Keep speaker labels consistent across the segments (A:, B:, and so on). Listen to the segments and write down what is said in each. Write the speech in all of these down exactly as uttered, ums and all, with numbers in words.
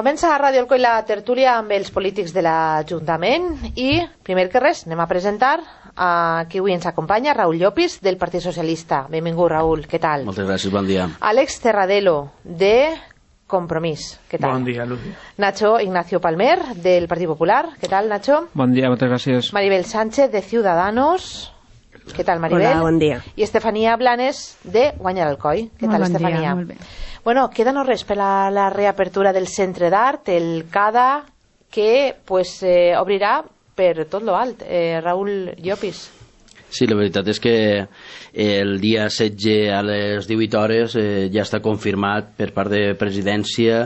A: Comença a Ràdio Alcoi la tertúlia amb els polítics de l'Ajuntament i, primer que res, anem a presentar a qui avui ens acompanya, Raúl Llopis, del Partit Socialista. Benvingut, Raúl, què tal?
B: Moltes gràcies, bon dia.
A: Àlex Terradelo, de Compromís, què tal?
C: Bon dia, Lucy.
A: Nacho Ignacio Palmer, del Partit Popular, què tal, Nacho?
C: Bon dia, moltes gràcies.
A: Maribel Sánchez, de Ciudadanos, què tal, Maribel?
D: Hola, bon dia.
A: I Estefanía Blanes, de Guanyar Alcoi, què tal,
E: bon
A: Estefanía?
E: Dia, molt bé.
A: Bueno, queda no res per la, la reapertura del Centre d'Art, el CADA, que pues, eh, obrirà per tot lo alt. Eh, Raúl Llopis.
B: Sí, la veritat és que el dia setze a les divuit hores eh, ja està confirmat per part de presidència.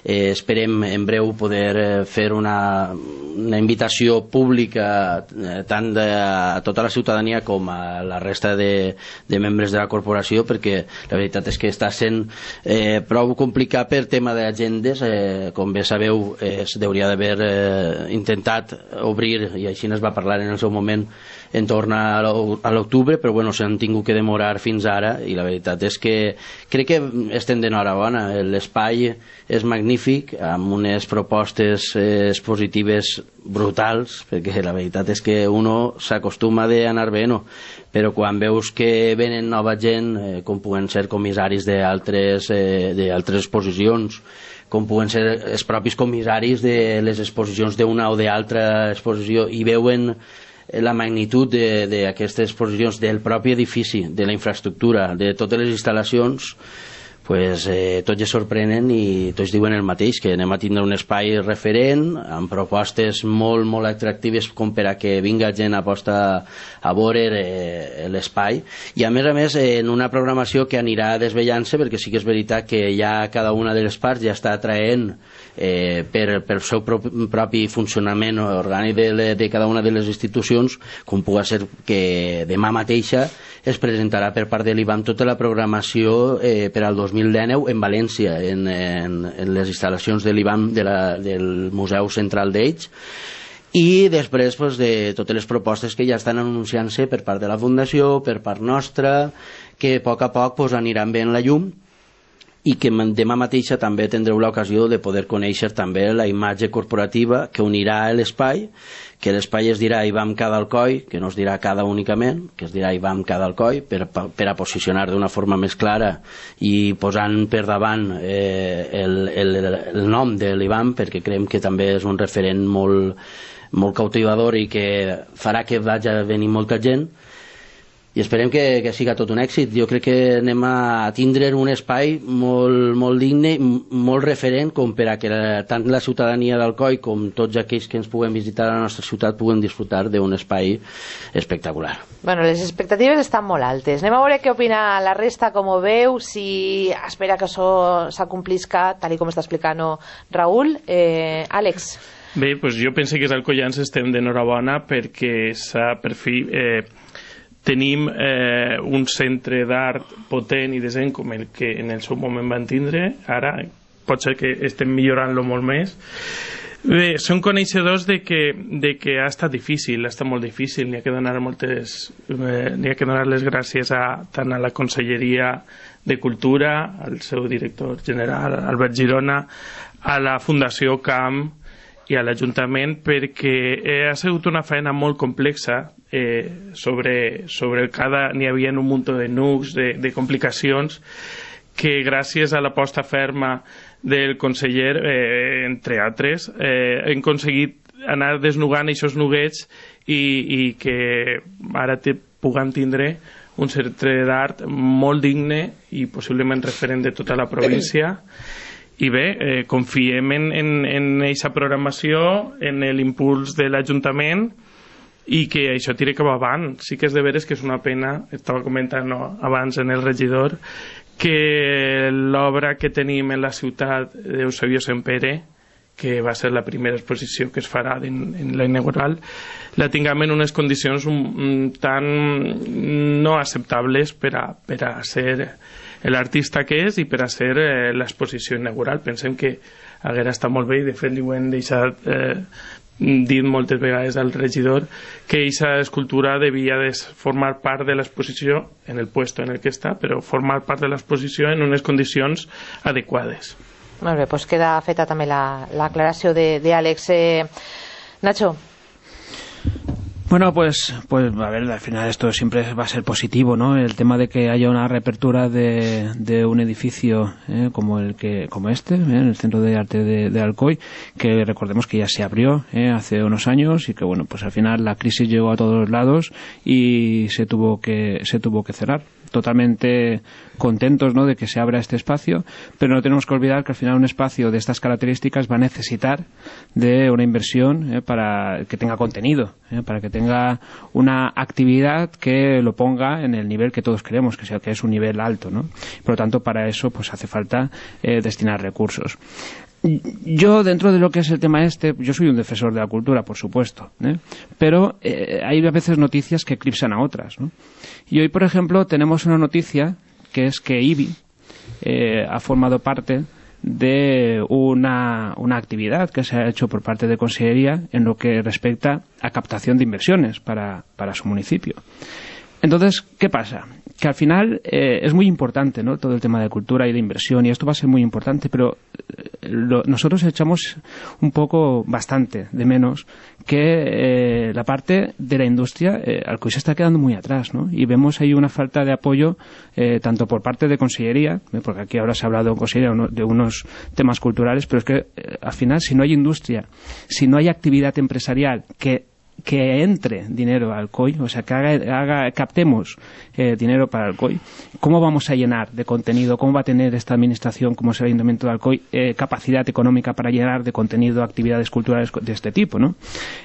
B: Eh, esperem en breu poder eh, fer una, una invitació pública eh, tant de, a tota la ciutadania com a la resta de, de membres de la corporació, perquè la veritat és que està sent eh, prou complicat per tema d'agendes. Eh, com bé sabeu, eh, s'hauria d'haver eh, intentat obrir, i així es va parlar en el seu moment, en torn a l'octubre, però bueno, s'han tingut que demorar fins ara, i la veritat és que crec que estem d'enhorabona. L'espai és magnífic, amb unes propostes eh, expositives brutals, perquè la veritat és que uno s'acostuma d'anar bé, no? Però quan veus que venen nova gent, eh, com puguen ser comissaris d'altres eh, d'altres exposicions, com puguen ser els propis comissaris de les exposicions d'una o d'altra exposició, i veuen la magnitud d'aquestes exposicions, del propi edifici, de la infraestructura, de totes les instal·lacions, pues, eh, tots es sorprenen i tots diuen el mateix, que anem a tindre un espai referent, amb propostes molt, molt atractives com per a que vinga gent a posta a veure eh, l'espai, i a més a més en una programació que anirà desvellant-se, perquè sí que és veritat que ja cada una de les parts ja està atraent Eh, per, per el seu propi, propi funcionament orgànic de, de cada una de les institucions, com pugui ser que demà mateixa es presentarà per part de l'I B A M tota la programació eh, per al dos mil dinou en València, en, en, en les instal·lacions de l'I B A M de la, del Museu Central d'Ells, i després pues, de totes les propostes que ja estan anunciant-se per part de la Fundació, per part nostra, que a poc a poc pues, aniran veient la llum, i que demà mateixa també tindreu l'ocasió de poder conèixer també la imatge corporativa que unirà l'espai, que l'espai es dirà I B A M CADA Alcoi, que no es dirà CADA únicament, que es dirà I B A M CADA Alcoi, per, per a posicionar d'una forma més clara i posant per davant eh, el, el, el nom de l'I B A M, perquè creiem que també és un referent molt, molt cautivador i que farà que vagi a venir molta gent, i esperem que, que siga tot un èxit. Jo crec que anem a tindre un espai molt, molt digne, molt referent, com per a que la, tant la ciutadania d'Alcoi com tots aquells que ens puguem visitar a la nostra ciutat puguem disfrutar d'un espai espectacular.
A: Bueno, les expectatives estan molt altes. Anem a veure què opina la resta, com ho veu, si espera que això s'acomplisca, tal com està explicant Raúl. Eh, Àlex.
C: Bé, doncs jo penso que els alcoians estem d'enhorabona perquè s'ha per fi... Eh, tenim eh, un centre d'art potent i decent com el que en el seu moment van tindre. Ara pot ser que estem millorant-lo molt més. Bé, som coneixedors de que, de que ha estat difícil, ha estat molt difícil. N'hi ha que donar moltes, eh, n'hi ha que donar les gràcies a, tant a la Conselleria de Cultura, al seu director general, Albert Girona, a la Fundació Camp i a l'Ajuntament, perquè eh, ha sigut una feina molt complexa. Eh, sobre, sobre el CADA n'hi havia un munt de nucs, de, de complicacions, que gràcies a l'aposta ferma del conseller, eh, entre altres, eh, hem aconseguit anar desnugant aquests nuguets i, i que ara te, puguem tindre un centre d'art molt digne i possiblement referent de tota la província. I bé, eh, confiem en, en, en aquesta programació, en l'impuls de l'Ajuntament, i que això tira cap avant. Sí que és de veres que és una pena, estava comentant no, abans en el regidor, que l'obra que tenim en la ciutat d'Eusebio Sempere, que va ser la primera exposició que es farà en, en la inaugural, la tinguem en unes condicions un, un, tan no acceptables per a, per a ser l'artista que és i per a ser eh, l'exposició inaugural. Pensem que haguera estat molt bé, i de fet li ho hem deixat eh, dit moltes vegades al regidor, que aquesta escultura devia de formar part de l'exposició en el puesto en el que està, però formar part de l'exposició en unes condicions adequades.
A: Molt bé, doncs queda feta també l'aclaració d'Àlex. Eh, Nacho.
D: Bueno, pues, pues a ver, al final esto siempre va a ser positivo, ¿no? El tema de que haya una reapertura de, de un edificio ¿eh? como el que como este, ¿eh? en el Centro de Arte de, de Alcoy, que recordemos que ya se abrió ¿eh? hace unos años y que bueno, pues al final la crisis llegó a todos lados y se tuvo que se tuvo que cerrar. Totalmente contentos, ¿no?, de que se abra este espacio, pero no tenemos que olvidar que al final un espacio de estas características va a necesitar de una inversión ¿eh? para que tenga contenido, ¿eh? para que tenga una actividad que lo ponga en el nivel que todos queremos, que sea que es un nivel alto, ¿no? Por lo tanto, para eso pues hace falta eh, destinar recursos. Yo, dentro de lo que es el tema este, yo soy un defensor de la cultura, por supuesto, ¿eh? pero eh, hay a veces noticias que eclipsan a otras, ¿no? Y hoy, por ejemplo, tenemos una noticia que es que I B I eh, ha formado parte de una, una actividad que se ha hecho por parte de Consellería en lo que respecta a captación de inversiones para, para su municipio. Entonces, ¿qué pasa? Que al final eh, es muy importante, ¿no?, todo el tema de cultura y de inversión, y esto va a ser muy importante, pero eh, lo, nosotros echamos un poco, bastante, de menos que eh, la parte de la industria, eh, Alcoy se está quedando muy atrás, ¿no? Y vemos ahí una falta de apoyo eh, tanto por parte de Consellería, ¿eh? porque aquí ahora se ha hablado en Consellería de unos temas culturales, pero es que eh, al final, si no hay industria, si no hay actividad empresarial que que entre dinero al Alcoy, o sea, que haga, haga, captemos eh, dinero para Alcoy, ¿cómo vamos a llenar de contenido? ¿Cómo va a tener esta administración, como es el Ayuntamiento de Alcoy, eh, capacidad económica para llenar de contenido actividades culturales de este tipo, ¿no?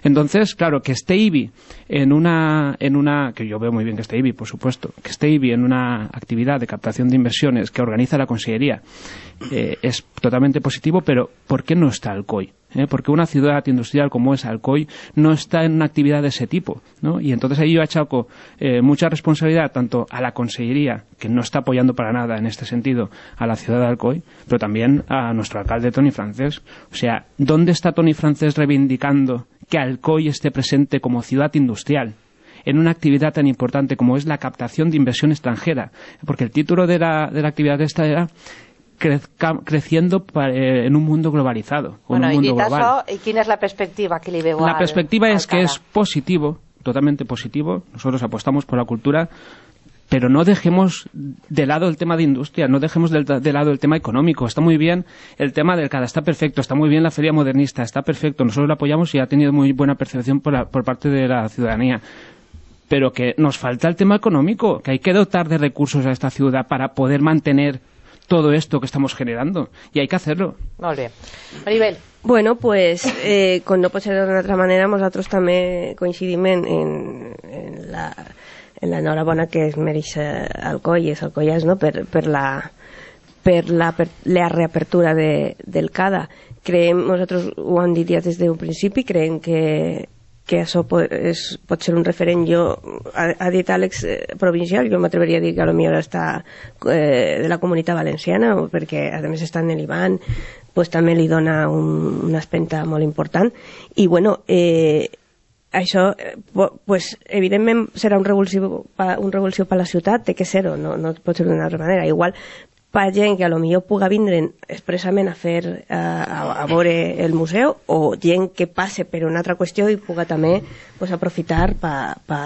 D: Entonces, claro, que esté I B I en una, en una, que yo veo muy bien que esté I B I, por supuesto, que esté I B I en una actividad de captación de inversiones que organiza la Consellería, eh, es totalmente positivo, pero ¿por qué no está Alcoy? ¿Eh? Porque una ciudad industrial como es Alcoy no está en una actividad de ese tipo, ¿no? Y entonces ahí yo achaco eh, mucha responsabilidad tanto a la Consellería, que no está apoyando para nada en este sentido a la ciudad de Alcoy, pero también a nuestro alcalde Toni Francés. O sea, ¿dónde está Toni Francés reivindicando que Alcoy esté presente como ciudad industrial en una actividad tan importante como es la captación de inversión extranjera? Porque el título de la, de la actividad esta era creciendo en un mundo globalizado.
A: Bueno,
D: un mundo
A: i dit
D: global.
A: això, i quina és la perspectiva que li veu
D: La
A: al,
D: perspectiva
A: al
D: es que es positivo, totalmente positivo. Nosotros apostamos por la cultura, pero no dejemos de lado el tema de industria, no dejemos de, de lado el tema económico. Está muy bien el tema del C A D A, está perfecto, está muy bien la Feria Modernista, está perfecto, nosotros lo apoyamos y ha tenido muy buena percepción por, la, por parte de la ciudadanía. Pero que nos falta el tema económico, que hay que dotar de recursos a esta ciudad para poder mantener todo esto que estamos generando, y hay que hacerlo.
A: Molt bé. Maribel.
E: Bueno, pues, eh, com no pot ser d'una altra manera, nosaltres també coincidim en, en, en la en l'enhorabona que es mereix Alcoy i Alcoians, no?, per, per, la, per la, per la reapertura de, del C A D A. Creiem, nosaltres ho hem dit ja des d'un principi, creiem que que això pot, és, pot ser un referent. Jo, ha, ha dit Àlex, eh, provincial, jo m'atreveria a dir que potser està eh, de la Comunitat Valenciana, perquè a més està en el Ivan, pues, també li dona un, una espenta molt important. I bueno, eh, això pues, evidentment serà un revulsiu, un revulsiu per la ciutat, té que ser-ho, no, no pot ser d'una altra manera. Igual per gent que a lo millor puga vindre expressament a fer a, a veure el museu, o gent que passe per una altra qüestió i puga també pues, aprofitar per pa,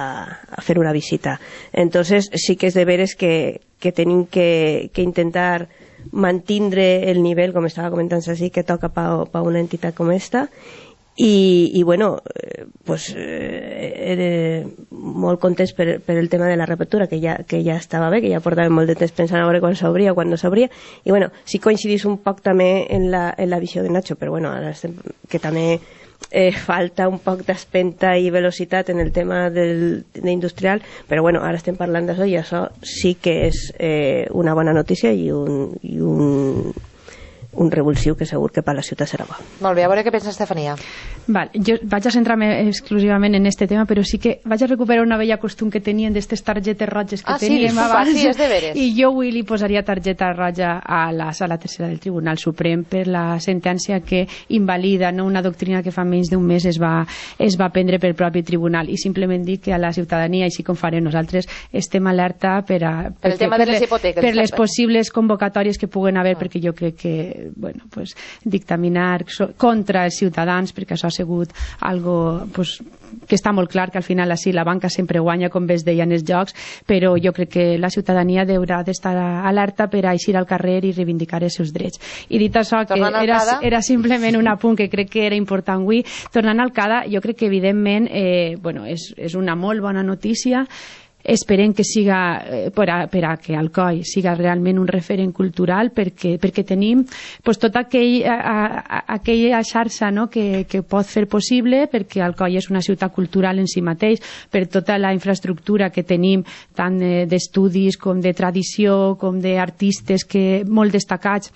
E: pa fer una visita. Entonces sí que és de veres que, que tenim que, que intentar mantindre el nivell, com estava comentant així, que toca per pa una entitat com esta. I, i bueno, pues, eh, era molt contents per, per el tema de la reapertura, que ja, que ja estava bé, que ja portàvem molt de temps pensant a veure quan s'obria, quan no s'obria, i bueno, sí coincidís un poc també en la, en la visió de Nacho, però bueno, ara estem, que també eh, falta un poc d'espenta i velocitat en el tema del, de industrial, però bueno, ara estem parlant d'això i això sí que és eh, una bona notícia i un, i un un revulsiu que segur que per la ciutat serà bo.
A: Molt bé, a veure què pensa Estefania.
F: Val, jo vaig a centrar-me exclusivament en este tema, però sí que vaig a recuperar una vella costum que tenien d'aquestes targetes roges que
A: ah,
F: teníem
A: sí,
F: abans.
A: Sí, és de veres.
F: I jo avui li posaria targeta roja a la sala tercera del Tribunal Suprem per la sentència que invalida, no, una doctrina que fa menys d'un mes es va, es va prendre pel propi tribunal, i simplement dic que a la ciutadania, així com farem nosaltres, estem alerta per, a,
A: per, el tema
F: per,
A: de les hipoteques,
F: per les possibles convocatòries que puguen haver, ah. perquè jo crec que eh, bueno, pues, dictaminar so, contra els ciutadans, perquè això ha sigut algo pues, que està molt clar que al final així la banca sempre guanya, com bé es deia en els jocs, però jo crec que la ciutadania haurà d'estar alerta per a eixir al carrer i reivindicar els seus drets. I dit això, que era, era simplement un apunt que crec que era important avui, tornant al CADA, jo crec que evidentment eh, bueno, és, és una molt bona notícia. Esperem que siga, eh, per, a, per a que Alcoi siga realment un referent cultural, perquè, perquè tenim pues, tota aquell, a, a, aquella xarxa, no?, que, que pot fer possible, perquè Alcoi és una ciutat cultural en si mateix, per tota la infraestructura que tenim, tant eh, d'estudis com de tradició, com d'artistes que molt destacats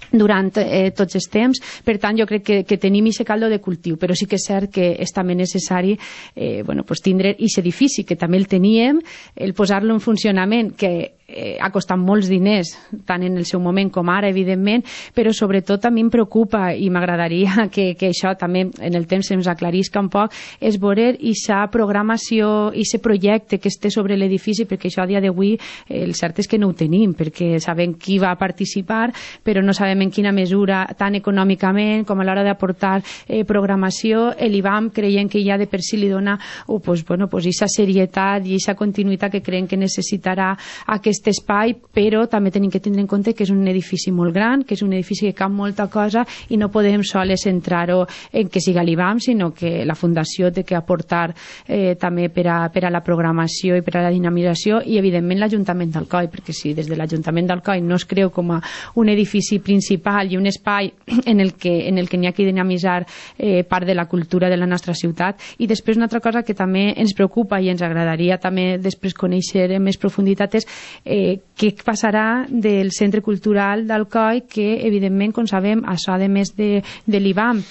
F: durant eh, tots els temps. Per tant, jo crec que, que tenim aquest caldo de cultiu, però sí que és cert que és també necessari eh, bueno, pues tindre aquest edifici, que també el teníem, el posar-lo en funcionament, que eh, ha costat molts diners, tant en el seu moment com ara, evidentment, però sobretot a mi em preocupa, i m'agradaria que, que això també en el temps ens aclarisca un poc, és veure aquesta programació, aquest projecte que esté sobre l'edifici, perquè això a dia d'avui eh, el cert és que no ho tenim, perquè sabem qui va participar, però no sabem en quina mesura, tant econòmicament com a l'hora d'aportar eh, programació. L'I B A M creiem que ja de per si li dona oh, pues, bueno, pues, aquesta serietat i aquesta continuïtat que creiem que necessitarà aquest espai, però també tenim que tindre en compte que és un edifici molt gran, que és un edifici que cap molta cosa i no podem sols centrar-ho en que siga l'I B A M, sinó que la Fundació té que aportar eh, també per a, per a la programació i per a la dinamització, i evidentment l'Ajuntament d'Alcoi, perquè si des de l'Ajuntament d'Alcoi no es creu com a un edifici principal i un espai en el que en el que n'hi ha que dinamitzar eh, part de la cultura de la nostra ciutat. I després una altra cosa que també ens preocupa i ens agradaria també després conèixer en més profunditat és eh, què passarà del Centre Cultural d'Alcoi, que evidentment, com sabem, això a més de, de l'I B A M,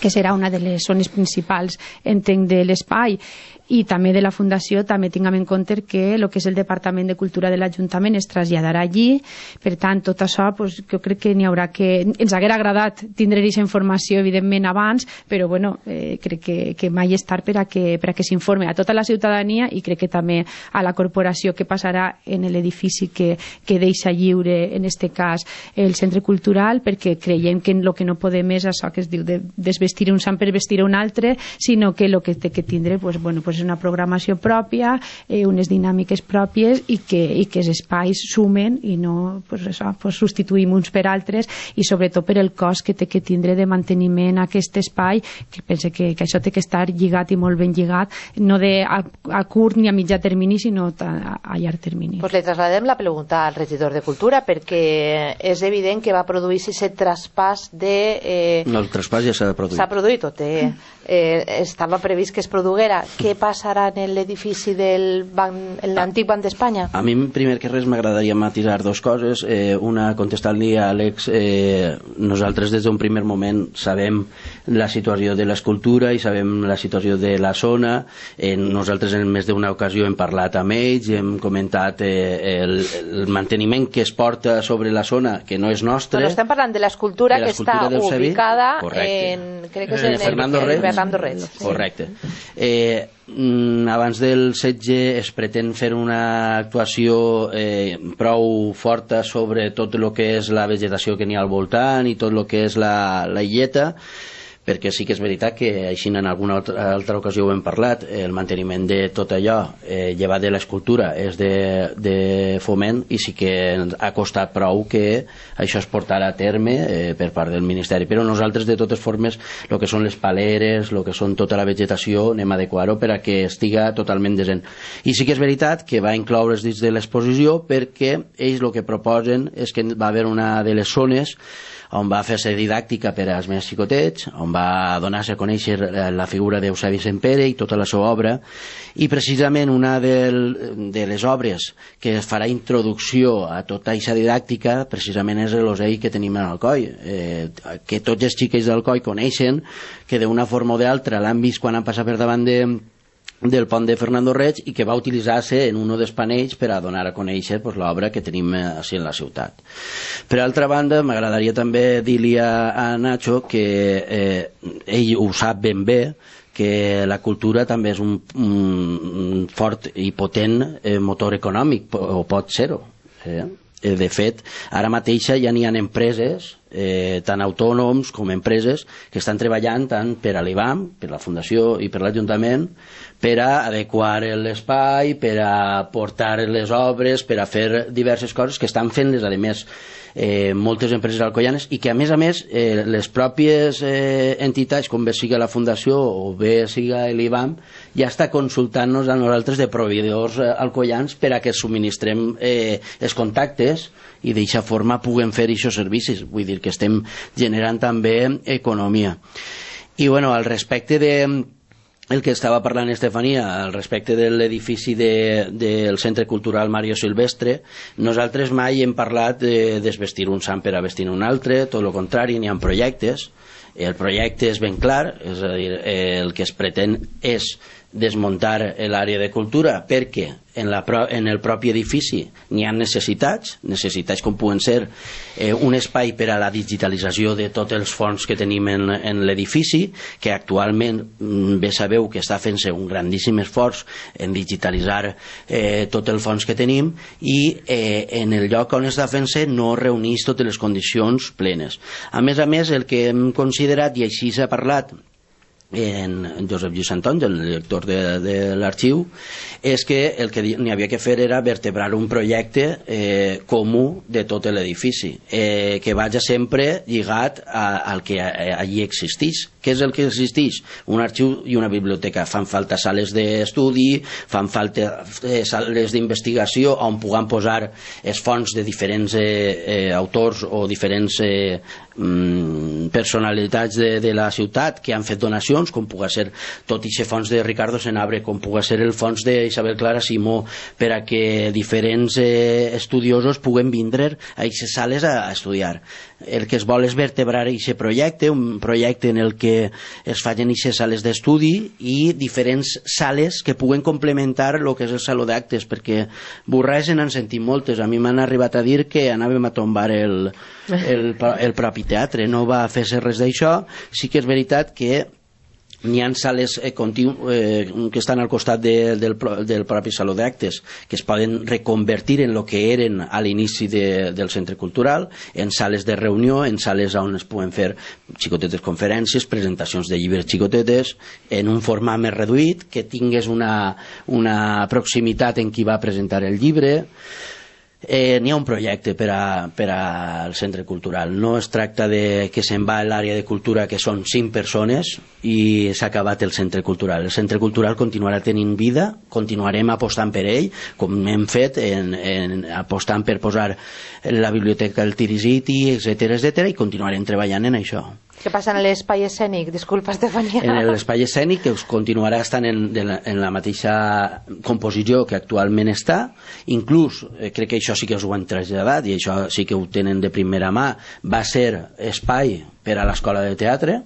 F: que serà una de les zones principals, entenc, de l'espai, i també de la Fundació, també tinguem en compte que el que és el Departament de Cultura de l'Ajuntament es traslladarà allí. Per tant, tot això, pues, jo crec que n'hi haurà que... Ens haguera agradat tindre aquesta informació, evidentment, abans, però bueno, eh, crec que, que mai és tard per a que, per a que s'informe a tota la ciutadania, i crec que també a la corporació, que passarà en l'edifici que, que deixa lliure, en este cas, el Centre Cultural, perquè creiem que el que no podem és això que es diu de desvestir un sant per vestir un altre, sinó que el que té que tindre, pues, bueno, pues, una programació pròpia, eh, unes dinàmiques pròpies, i que, i que els espais sumen i no pues, això, pues, substituïm uns per altres, i sobretot per el cost que té que tindre de manteniment aquest espai, que pense que, que això té que estar lligat i molt ben lligat, no de a, a curt ni a mitjà termini, sinó a, a llarg termini.
A: Pues le trasladem la pregunta al regidor de Cultura, perquè és evident que va produir-se aquest traspàs de... Eh,
B: el traspàs ja s'ha produït.
A: S'ha produït, o té, eh, estava previst que es produguera. Què passarà en l'edifici del banc, l'antic Banc d'Espanya?
B: A mi, primer que res, m'agradaria matisar dues coses. Eh, una, contestant-li a Àlex, eh, nosaltres des d'un primer moment sabem la situació de l'escultura i sabem la situació de la zona. Eh, nosaltres en més d'una ocasió hem parlat amb ells, hem comentat eh, el, el manteniment que es porta sobre la zona, que no és nostre.
A: Bueno, estem parlant de l'escultura que està ubicada
B: correcte.
A: en, crec que és
B: en,
A: en,
B: en Fernando Reds.
A: Fernando Reds. Sí.
B: Correcte. Eh, abans del setge es pretén fer una actuació eh, prou forta sobre tot el que és la vegetació que n'hi ha al voltant i tot el que és la, la illeta, perquè sí que és veritat que així en alguna altra, altra ocasió ho hem parlat, el manteniment de tot allò eh, llevat de l'escultura és de, de foment, i sí que ha costat prou que això es portarà a terme eh, per part del Ministeri, però nosaltres de totes formes el que són les paleres, el que són tota la vegetació, anem a adequar-ho per a que estiga totalment desent. I sí que és veritat que va incloure's dins de l'exposició, perquè ells el que proposen és que va haver una de les zones on va fer-se didàctica per als més xicotets, on va donar-se a conèixer la figura d'Eusebi Sempere i tota la seva obra, i precisament una de, de les obres que farà introducció a tota aquesta didàctica precisament és l'Osei que tenim en Alcoi, eh, que tots els xiquets d'Alcoi coneixen, que d'una forma o d'altra l'han vist quan han passat per davant de del pont de Fernando Reds, i que va utilitzar-se en un dels panells per a donar a conèixer pues, l'obra que tenim així en la ciutat. Per altra banda, m'agradaria també dir-li a, a Nacho que eh, ell ho sap ben bé, que la cultura també és un, un fort i potent eh, motor econòmic, o pot ser-ho. Eh? Eh, de fet, ara mateix ja n'hi ha empreses, eh, tant autònoms com empreses, que estan treballant tant per a l'I B A M, per la Fundació i per l'Ajuntament, per a adequar l'espai, per a portar les obres, per a fer diverses coses que estan fent-les, a més, eh, moltes empreses alcoianes, i que a més a més eh, les pròpies eh, entitats, com bé siga la Fundació o bé siga l'I B A M, ja està consultant-nos a nosaltres de proveïdors eh, alcoians per a que subministrem eh, els contactes i d'aquesta forma puguem fer aquests servicis. Vull dir que estem generant també economia. I bueno, al respecte de el que estava parlant Estefania, al respecte de l'edifici de, del Centre Cultural Mario Silvestre, nosaltres mai hem parlat de desvestir un sant per a vestir un altre, tot el contrari, n'hi ha projectes. El projecte és ben clar, és a dir, el que es pretén és desmuntar l'àrea de cultura perquè en, la, en el propi edifici n'hi ha necessitats, necessitats com puguen ser eh, un espai per a la digitalització de tots els fons que tenim en, en l'edifici, que actualment bé sabeu que està fent-se un grandíssim esforç en digitalitzar eh, tot el fons que tenim, i eh, en el lloc on està fent-se no reuneix totes les condicions plenes. A més a més, el que hem considerat, i així s'ha parlat en Josep Lluís Antons, el director de, de l'arxiu, és que el que n'hi havia que fer era vertebrar un projecte eh, comú de tot l'edifici, eh, que vagi sempre lligat a, al que allí existeix. Què és el que existeix? Un arxiu i una biblioteca. Fan falta sales d'estudi, fan falta eh, sales d'investigació on puguem posar els fons de diferents eh, eh, autors o diferents eh, mm, personalitats de, de la ciutat que han fet donacions, com pugui ser tot aquest fons de Ricardo Senabre, com pugui ser el fons d'Isabel Clara Simó, per a que diferents eh, estudiosos puguen vindre a aquestes sales a, a estudiar. El que es vol és vertebrar aquest projecte, un projecte en el que es facin aquestes sales d'estudi i diferents sales que puguen complementar el que és el saló d'actes, perquè burrades se n'han sentit moltes. A mi m'han arribat a dir que anàvem a tombar el, el, el propi teatre, no va fer-se res d'això. Sí que és veritat que n'hi ha sales eh, continu, eh, que estan al costat de, del, del propi saló d'actes, que es poden reconvertir en el que eren a l'inici de, del centre cultural, en sales de reunió, en sales on es puguen fer xicotetes conferències, presentacions de llibres xicotetes, en un format més reduït, que tingués una, una proximitat en qui va presentar el llibre. Eh, n'hi ha un projecte per, a, per al centre cultural. No es tracta de que se'n va a l'àrea de cultura, que són cinc persones, i s'ha acabat el centre cultural. El centre cultural continuarà tenint vida, continuarem apostant per ell, com hem fet, en, en, apostant per posar la biblioteca al Tirisiti, etcètera, etcètera, i continuarem treballant en això.
A: Què passa en l'espai escènic? Disculpa, Estefania.
B: En l'espai escènic, que continuarà estant en, en la mateixa composició que actualment està. Inclús, eh, crec que això sí que us ho han traslladat, i això sí que ho tenen de primera mà, va ser espai per a l'escola de teatre,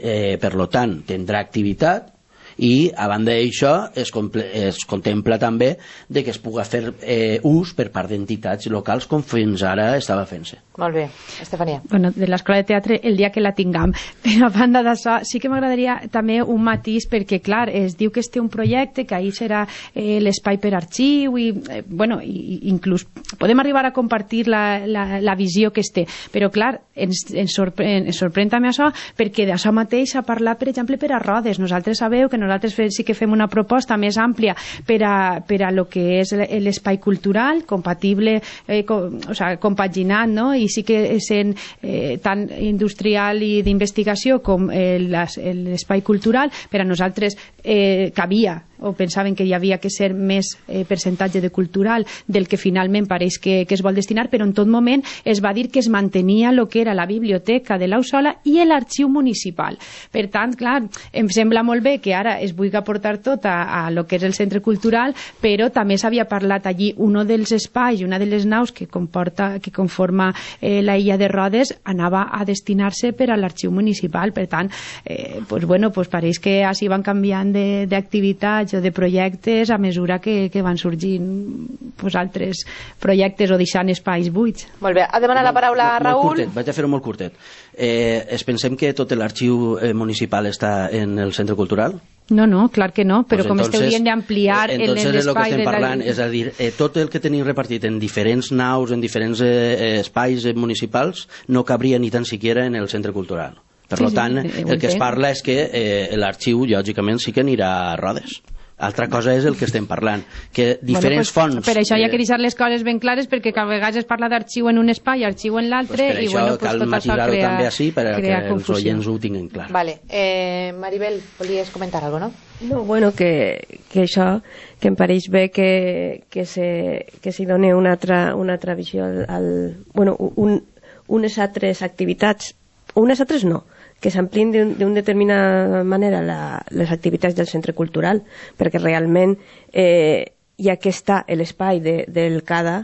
B: eh, per lo tant, tindrà activitat, i a banda d'això es, es contempla també de que es pugui fer eh, ús per part d'entitats locals com fins ara estava fent-se.
A: Molt bé, Estefania.
F: Bueno, de l'escola de teatre el dia que la tinguem, però a banda d'això sí que m'agradaria també un matís, perquè clar, es diu que es té un projecte, que ahir serà eh, l'espai per arxiu i, eh, bueno, i, inclús podem arribar a compartir la, la, la visió que es té, però clar, ens, ens, sorprèn, ens sorprèn també això, perquè d'això mateix s'ha parlat, per exemple, per a Rodes. Nosaltres sabeu que nosaltres sí que fem una proposta més àmplia per a, per a lo que és l'espai cultural, compatible, eh, com, o sea, compaginant, no? I sí que sent eh, tant industrial i d'investigació com eh, l'espai cultural, per a nosaltres eh, cabia, o pensaven que hi havia que ser més eh, percentatge de cultural del que finalment pareix que, que es vol destinar, però en tot moment es va dir que es mantenia el que era la biblioteca de l'Ausola i l'arxiu municipal. Per tant, clar, em sembla molt bé que ara es vulgui aportar tot a, a lo que és el centre cultural, però també s'havia parlat allí un dels espais, una de les naus que comporta, que conforma eh, la illa de Rodes, anava a destinar-se per a l'arxiu municipal. Per tant, eh, pues bueno, pues pareix que així van canviant d'activitat d'assaig o de projectes a mesura que, que van sorgint pues, altres projectes o deixant espais buits.
A: Molt bé, ha demanat la paraula a Raül.
B: Molt curtet, vaig a fer-ho molt curtet. Eh, es pensem que tot l'arxiu eh, municipal està en el centre cultural?
F: No, no, clar que no, però
B: pues
F: com
B: entonces,
F: esteu dient d'ampliar
B: entonces
F: l'espai...
B: Entonces el que estem
F: de
B: parlant
F: la...
B: és a dir, eh, tot el que tenim repartit en diferents naus, en diferents eh, espais eh, municipals, no cabria ni tan siquiera en el centre cultural. Per
F: sí,
B: tant,
F: sí,
B: el que es parla és que eh, l'arxiu, lògicament, sí que anirà a Rodes. Altra cosa és el que estem parlant, que diferents
F: bueno, pues,
B: fonts...
F: Per això hi ha que
B: eh,
F: deixar les coses ben clares, perquè a vegades es parla d'arxiu en un espai, arxiu en l'altre,
B: pues
F: i bueno, pues,
B: cal
F: tot això
B: matisar-ho
F: crea,
B: també així per a que els
F: confusió.
B: oients ho tinguin clar.
A: Vale. Eh, Maribel, volies comentar alguna cosa, no?
E: No, bueno, que, que això, que em pareix bé que, que, se, que s'hi doni una altra, una altra visió al, al bueno, un, unes altres activitats, unes altres no, que s'amplien d'una determinada manera la, les activitats del centre cultural, perquè realment eh, ja que està l'espai de, del CADA,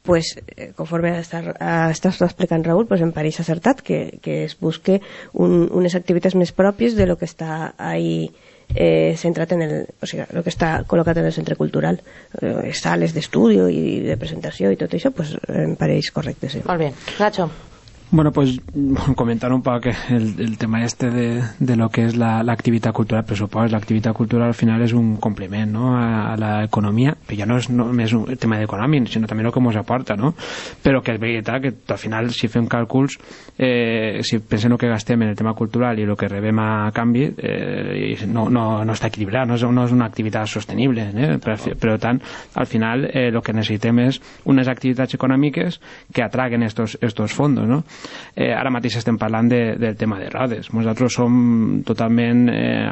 E: pues, eh, conforme està, està explicant Raül, pues, em pareix acertat que, que es busque un, unes activitats més pròpies de lo que està ahí eh, centrat en el, o sigui, lo que està col·locat en el centre cultural, eh, sales d'estudi i de presentació i tot això, pues, em pareix correcte, sí.
A: Molt bé. Nacho.
D: Bueno, pues comentar un poco el, el tema este de, de lo que es la, la actividad cultural, pressupost. La actividad cultural al final es un complement, ¿no?, a, a la economia, que ja no és només un tema d'econòmic, sinó també el que ens aporta, no? Però que és veritat que al final, si fem càlculs, eh, si pensem el que gastem en el tema cultural i el que rebem a canvi, eh, no, no, no està equilibrat, no és, no és una activitat sostenible, eh? Per, per tant, al final, eh, el que necessitem és unes activitats econòmiques que atraguen estos, estos fondos, no? Eh, ara mateix estem parlant de, del tema de Rodes. Nosaltres som totalment eh,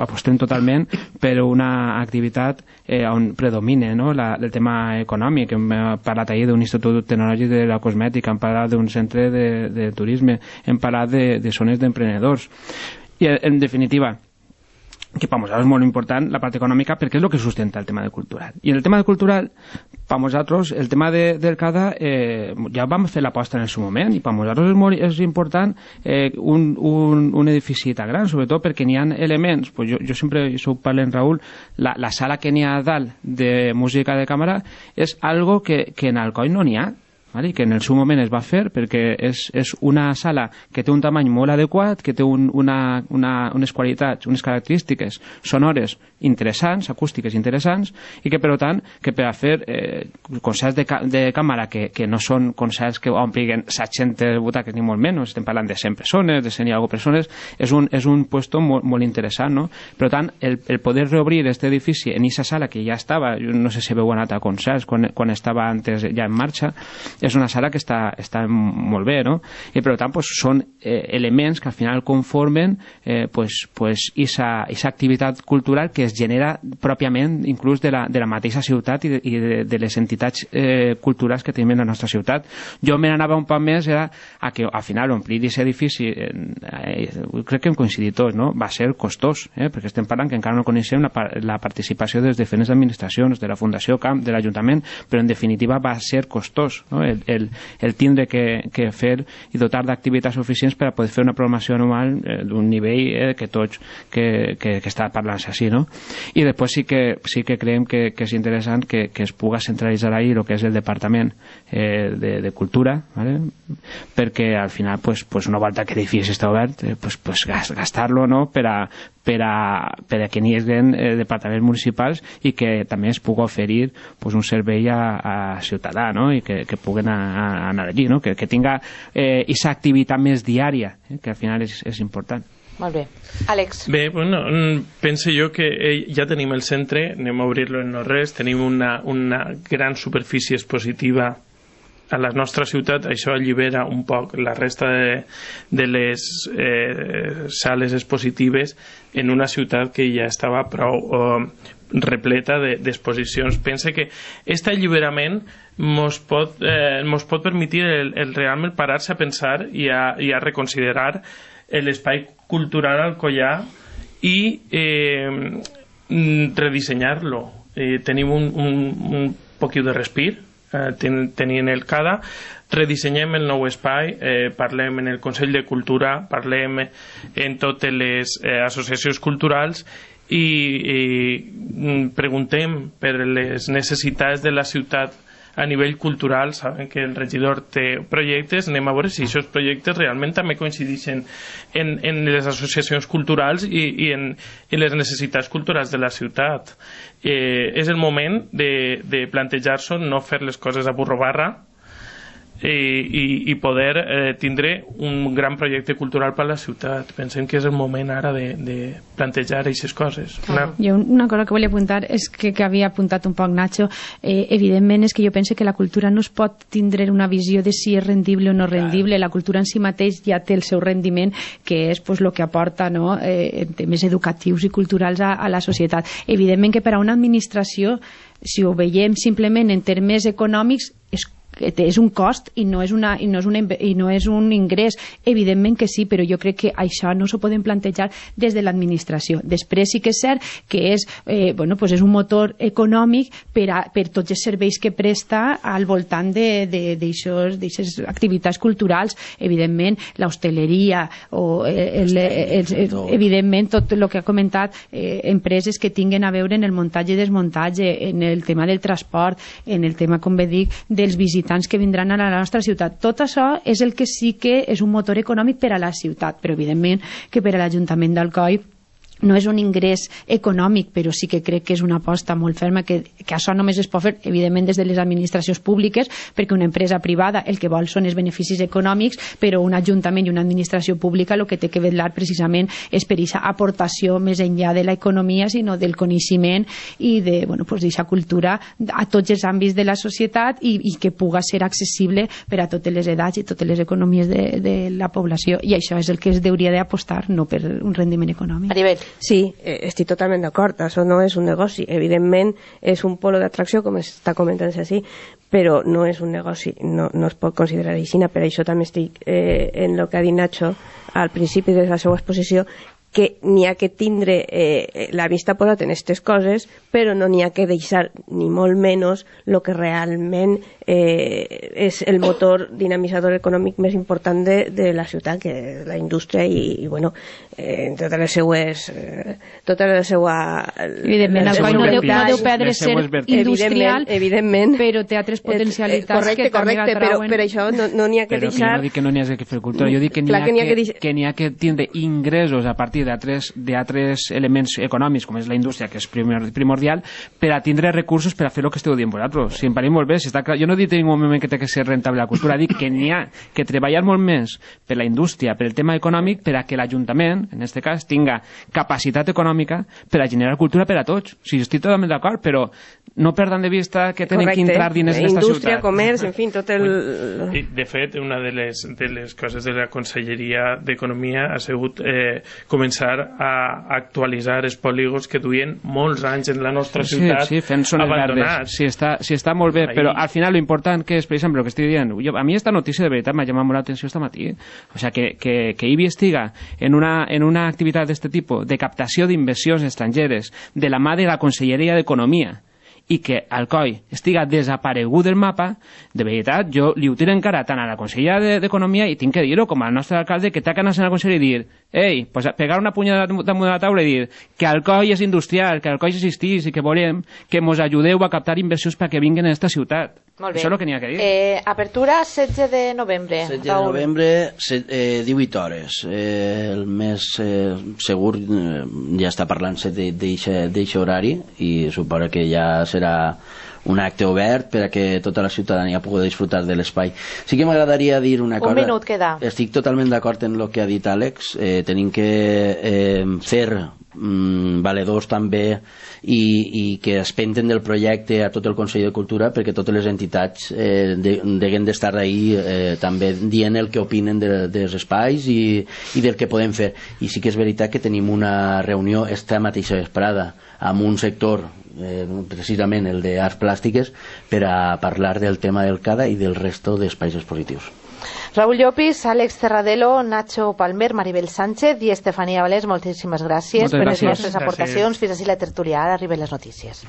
D: apostem totalment per una activitat eh, on predomine, no?, la, el tema econòmic. Hem parlat ahir d'un institut tecnològic de la cosmètica, hem parlat d'un centre de, de turisme, hem parlat de, de zones d'emprenedors, i en definitiva que per nosaltres és molt important la part econòmica, perquè és el que sustenta el tema de cultural. I en el tema de cultural, per nosaltres, el tema de, del CADA, eh, ja vam fer l'aposta en el seu moment, i per nosaltres és, molt, és important eh, un, un, un edifici tan gran, sobretot perquè n'hi ha elements, pues jo, jo sempre, això ho parlo en Raül, la, la sala que n'hi ha a dalt de música de càmera és algo que, que en Alcoi no n'hi ha, i que en el seu moment es va fer perquè és, és una sala que té un tamany molt adequat, que té un, una, una, unes qualitats, unes característiques sonores interessants, acústiques interessants, i que per tant que per a fer eh, concerts de, ca de càmera que, que no són concerts que ompliguin set-centes butaques ni molt menys, estem parlant de cent persones, de cent i alguna persones, és un, és un puesto molt, molt interessant, no? Per tant, el, el poder reobrir aquest edifici en aquesta sala que ja estava, jo no sé si heu anat a concerts quan, quan estava antes ja en marxa, és una sala que està, està molt bé, no? I per tant pues, són eh, elements que al final conformen eh, pues, pues, esa, esa activitat cultural que es genera pròpiament inclús de la, de la mateixa ciutat i de, i de, de les entitats eh, culturals que tenim en la nostra ciutat. Jo me n'anava un poc més era a que al final omplir aquest edifici eh, crec que hem coincidit tots, no? Va ser costós, eh? Perquè estem parlant que encara no coneixem la, la participació de les diferents administracions, de la Fundació Camp, de l'Ajuntament, però en definitiva va ser costós, no? El, el, el tindre que, que fer i dotar d'activitats suficients per a poder fer una programació anual eh, d'un nivell eh, que tots que, que, que està parlant-se així, no? I després sí que, sí que creiem que, que és interessant que, que es puga centralitzar ahí el que és el Departament eh, de, de Cultura, ¿vale? Perquè al final pues, pues una volta que l'edifici està obert eh, pues, pues gastar-lo, no?, per a per a, per a que n'hi hagin eh, departaments municipals i que també es pugui oferir pues, un servei a, a ciutadà, no?, i que, que puguen a, a anar allí, no?, que, que tinga aquesta eh, activitat més diària, eh, que al final és, és important.
A: Molt bé. Àlex.
C: Bé, bueno, penso jo que ja tenim el centre, anem a obrir-lo en no res, tenim una, una gran superfície expositiva a la nostra ciutat, això allibera un poc la resta de, de les eh, sales expositives en una ciutat que ja estava prou eh, repleta d'exposicions. De, Pense que aquest alliberament mos pot, eh, mos pot permetre el, el realment parar-se a pensar i a, i a reconsiderar l'espai cultural alcoià i eh, redissenyar-lo. Eh, tenim un, un, un poquiu de respir, ten, tenint el CADA, redissenyem el nou espai, eh, parlem en el Consell de Cultura, parlem en totes les eh, associacions culturals i, i preguntem per les necessitats de la ciutat a nivell cultural, saben que el regidor té projectes, anem a veure si aquests projectes realment també coincideixen en, en les associacions culturals i, i en, en les necessitats culturals de la ciutat. Eh, és el moment de, de plantejar-se, no fer les coses a burro barra, i, i, i poder eh, tindre un gran projecte cultural per a la ciutat. Pensem que és el moment ara de, de plantejar aquestes coses. Una...
F: Jo una cosa que volia apuntar és que, que havia apuntat un poc Nacho, eh, evidentment és que jo penso que la cultura no es pot tindre una visió de si és rendible o no rendible. La cultura en si mateix ja té el seu rendiment, que és pues, el que aporta, no? eh, en temes educatius i culturals a, a la societat. Evidentment que per a una administració, si ho veiem simplement en termes econòmics, és és un cost i no és, una, i, no és una, i no és un ingrés. Evidentment que sí, però jo crec que això no s'ho podem plantejar des de l'administració. Després sí que és cert que és, eh, bueno, pues és un motor econòmic per, a, per tots els serveis que presta al voltant d'aquestes activitats culturals. Evidentment, l'hostaleria o el, el, el, el, evidentment tot el que ha comentat, eh, empreses que tinguen a veure en el muntatge i desmuntatge, en el tema del transport, en el tema, com bé dic, dels visitants que vindran a la nostra ciutat. Tot això és el que sí que és un motor econòmic per a la ciutat, però evidentment que per a l'Ajuntament d'Alcoi no és un ingrés econòmic, però sí que crec que és una aposta molt ferma, que, que això només es pot fer, evidentment, des de les administracions públiques, perquè una empresa privada el que vol són els beneficis econòmics, però un ajuntament i una administració pública el que té que vetllar precisament és per aquesta aportació més enllà de l'economia, sinó del coneixement i de, bueno, pues, d'aquesta cultura a tots els àmbits de la societat i, i que puga ser accessible per a totes les edats i totes les economies de, de la població, i això és el que es hauria d'apostar, no per un rendiment econòmic.
A: Maribel.
E: Sí, eh, estic totalment d'acord, això no és un negoci, evidentment és un polo d'atracció, com està comentant-se així, però no és un negoci, no, no es pot considerar així. Per això també estic eh, en el que ha dit Nacho al principi de la seva exposició, que n'hi ha que tindre eh, la vista posat en aquestes coses, però no n'hi ha que deixar ni molt menys el que realment eh, és el motor dinamitzador econòmic més important de, de la ciutat, que és la indústria i, i bueno, eh, en totes les seues eh, tota la seua
F: evidentment, el coll no deu, no deu perdre ser industrial, evidentment, evidentment, però té altres potencialitats eh, correcte, que també
E: correcte, però per això no n'hi no ha que
D: però
E: deixar.
D: Però no dic que no n'hi ha que fer cultura, jo dic que n'hi ha, que, que, que, n'hi ha que tindre ingressos a partir d'altres elements econòmics, com és la indústria, que és primordial, per a tindre recursos per a fer el que esteu dient vosaltres. Si em pareix molt bé, si està clar, jo no dic en ningú moment que té que ser rentable la cultura, dic que n'hi ha que treballar molt més per la indústria, per el tema econòmic, per a que l'Ajuntament, en aquest cas, tinga capacitat econòmica per a generar cultura per a tots. O sigui, estic totalment d'acord, però no perdant de vista que tenen que entrar diners en aquesta ciutat.
E: Indústria, comerç, en fi, tot el...
C: De fet, una de les, de les coses de la Conselleria d'Economia ha sigut eh, començar a actualitzar els polígons que duien molts anys en la nostra ciutat
D: sí, sí, fent zones verdes. Sí, està, sí, està molt bé, ahí. Però al final lo important que és, per exemple, el que estic dient, jo, a mi esta notícia de veritat m'ha llamat molt l'atenció esta matí. O sea, que, que, que I B I estiga en una, en una activitat d'aquest tipus de captació d'inversions estrangeres de la mà de la Conselleria d'Economia i que Alcoi estiga desaparegut del mapa, de veritat, jo li ho tiro encara tant a la Conselleria d'Economia i tinc que dir-ho com al nostre alcalde, que té que anar a la Conselleria i dir ei, pues pegar una punyada damunt de la taula i dir que Alcoi és industrial, que Alcoi existís i que volem que mos ajudeu a captar inversions perquè vinguin a aquesta ciutat.
A: Molt bé.
D: Això és el que n'hi ha que dir.
A: Eh, apertura setze de novembre.
B: setze de novembre, set, eh, divuit hores. Eh, el més eh, segur eh, ja està parlant-se d'aquest horari i suposa que ja serà un acte obert per a que tota la ciutadania pugui disfrutar de l'espai. Sí que m'agradaria dir una cosa.
A: Un minut queda.
B: Estic totalment d'acord en el que ha dit Àlex. Eh, tenim que eh, fer mm, valedors també i, i que es penten del projecte a tot el Consell de Cultura perquè totes les entitats eh, de, deguin d'estar ahí eh, també dient el que opinen de, dels espais i, i del que podem fer. I sí que és veritat que tenim una reunió esta mateixa vesprada amb un sector Eh, precisament el d'arts plàstiques per a parlar del tema del CADA i del resto d'espais expositius.
A: Raúl Llopis, Àlex Cerradelo, Nacho Palmer, Maribel Sánchez i Estefanía Valés, moltíssimes gràcies
D: Moltes
A: per
D: gràcies.
A: les vostres aportacions. Fins així la tertúlia, ara arriben les notícies.